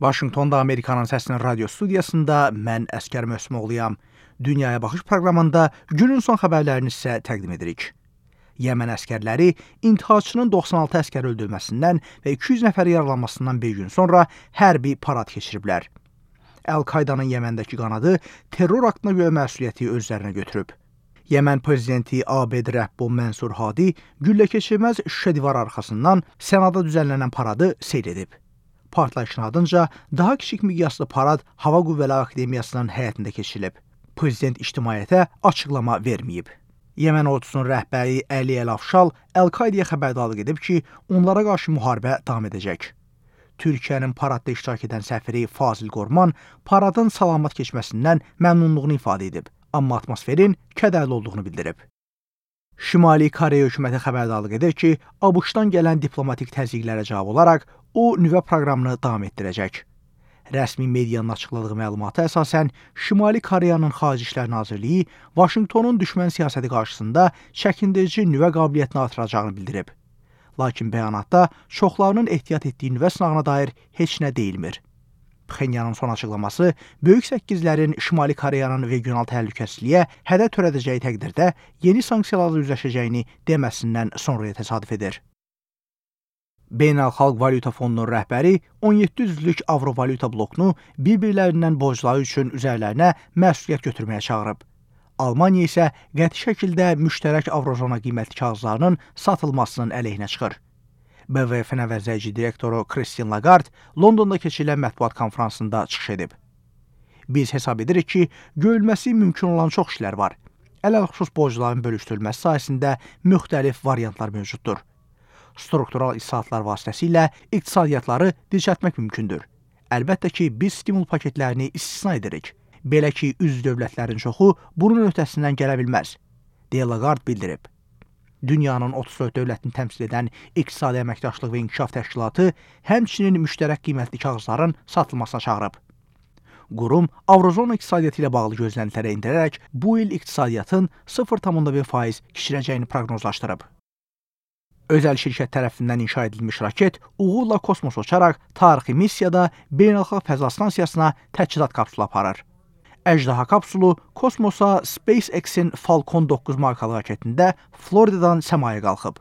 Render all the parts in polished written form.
Vaşinqtonda Amerikanın Səsinin radio studiyasında mən Əskər Möhsümoğluyam. Dünyaya Baxış proqramında günün son xəbərlərini sizə təqdim edirik. Yəmən əskərləri intiharçının 96 əskər öldürməsindən və 200 nəfər yaralanmasından bir gün sonra hərbi parad keçiriblər. Əl-Qaydanın Yəməndəki qanadı terror aktına görə məsuliyyəti özlərinə götürüb. Yəmən prezidenti Abed Rəbbo Mənsur Hadi güllə keçirməz şüşə divar arxasından Senada düzənlənən paradı seyr edib. Partlayışın ardınca daha kiçik miqyaslı parad Hava Qüvvələri Akademiyasının həyətində keçirilib. Prezident ictimaiyyətə açıqlama verməyib. Yəmən ordusunun rəhbəri Əli Əl-Afşal Əl-Qaidəyə xəbərdarlıq edib ki, onlara qarşı müharibə davam edəcək. Türkiyənin paradda iştirak edən səfiri Fazil Qorman paradın salamat keçməsindən məmnunluğunu ifadə edib, amma atmosferin kədərli olduğunu bildirib. Şimali Koreya hökuməti xəbərdarlıq edir ki, ABŞ-dan gələn diplomatik təzyiqlərə cavab olaraq o nüvə proqramını davam etdirəcək. Rəsmi medianın açıqladığı məlumata əsasən, Şimali Koreyanın Xarici İşlər Nazirliyi Vaşinqtonun düşmən siyasəti qarşısında çəkindirici nüvə qabiliyyətini artıracağını bildirib. Lakin bəyanatda çoxlarının ehtiyat etdiyi nüvə sınağına dair heç nə deyilmir. Pxenyanın son açıqlaması Böyük Səkkizlərin Şimali Koreyanın regional təhlükəsizliyə hədər törədəcəyi təqdirdə yeni sanksiyalarla üzləşəcəyini deməsindən sonraya təsadüf edir. Beynəlxalq Valyuta Fondunun rəhbəri 17 üzvlük Avrovalyuta blokunu bir-birlərindən borcları üçün üzərlərinə məsuliyyət götürməyə çağırıb. Almaniya isə qəti şəkildə müştərək Avrozona qiymətli kağızlarının satılmasının əleyhinə çıxır. BVF-in əvəzləyici direktoru Christine Lagarde Londonda keçirilən mətbuat konfransında çıxış edib. Biz hesab edirik ki, görülməsi mümkün olan çox işlər var. Ələlxüsus borcların bölüşdürülməsi sayəsində müxtəlif variantlar mövcuddur. Struktural islahatlar vasitəsilə iqtisadiyyatları dirçəltmək mümkündür. Əlbəttə ki, biz stimul paketlərini istisna edirik. Belə ki, üzv dövlətlərin çoxu bunun öhdəsindən gələ bilməz, deyə Lagarde bildirib. Dünyanın 34 dövlətini təmsil edən İqtisadi Əməkdaşlıq və İnkişaf Təşkilatı həmçinin müştərək qiymətli kağızların satılmasına çağırıb. Qurum Avrozona iqtisadiyyatı ilə bağlı gözləntilərə endirərək bu il iqtisadiyyatın 0,1% kiçiləcəyini proqnozlaşdırıb. Özəl şirkət tərəfindən inşa edilmiş raket uğurla kosmosa uçaraq tarixi missiyada Beynəlxalq Fəza Stansiyasına təchizat kapsulu aparır. Əjdaha kapsulu kosmosa SpaceX-in Falcon 9 markalı raketində Floridadan səmaya qalxıb.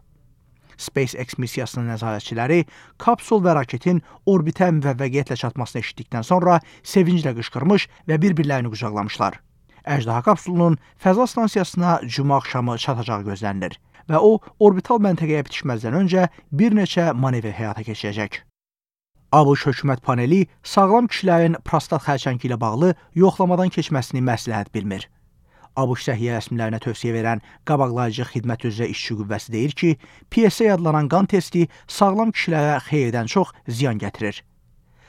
SpaceX missiyasının nəzarətçiləri kapsul və raketin orbitə müvəffəqiyyətlə çatmasını eşitdikdən sonra sevinclə qışqırmış və bir-birlərini qucaqlamışlar. Əjdaha kapsulunun Fəza Stansiyasına cümə axşamı çatacağı gözlənilir və o, orbital məntəqəyə bitişməzdən öncə bir neçə manevr həyata keçirəcək. ABŞ hökumət paneli sağlam kişilərin prostat xərçəngi ilə bağlı yoxlamadan keçməsini məsləhət bilmir. ABŞ səhiyyə rəsmilərinə tövsiyə verən qabaqlayıcı xidmət üzrə işçi qüvvəsi deyir ki, PSA adlanan qan testi sağlam kişilərə xeyirdən çox ziyan gətirir.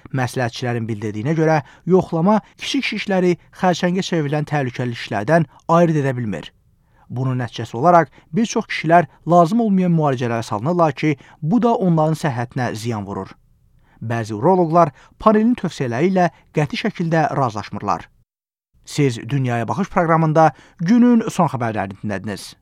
Məsləhətçilərin bildirdiyinə görə, yoxlama kiçik şişləri xərçəngə çevrilən təhlükəli işlərdən ayırt edə bilmir. Bunun nəticəsi olaraq bir çox kişilər lazım olmayan müalicələrə salınırlar ki, bu da onların səhhətinə ziyan vurur. Bəzi uroloqlar panelin tövsiyələri ilə qəti şəkildə razılaşmırlar. Siz Dünyaya Baxış proqramında günün son xəbərlərini dinlədiniz.